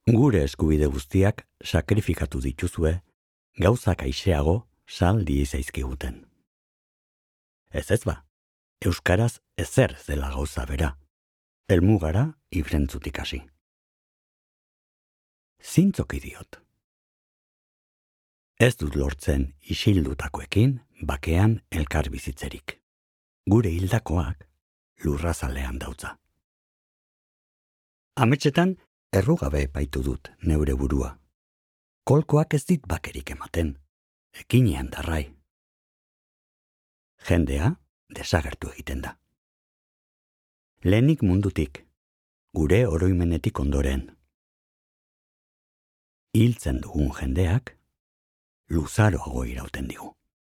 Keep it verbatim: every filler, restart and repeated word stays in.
Gure eskubide guztiak sakrifikatu dituzue, gauzak aixeago saldi zaizkiguten. Ez ez ba, euskaraz ezer zela gauza bera, helmugara ibrentzutik hasi. Zintzoki diot. Ez dut lortzen isildutakoekin bakean elkar bizitzerik. Gure hildakoak lurrazalean dautza. Ametsetan errugabe epaitu dut neure burua. Kolkoak ez dit bakerik ematen, ekinean darrai. Jendea desagertu egiten da. Lehenik mundutik, gure oroimenetik ondoren. Hiltzen dugun jendeak luzaroago irauten digu.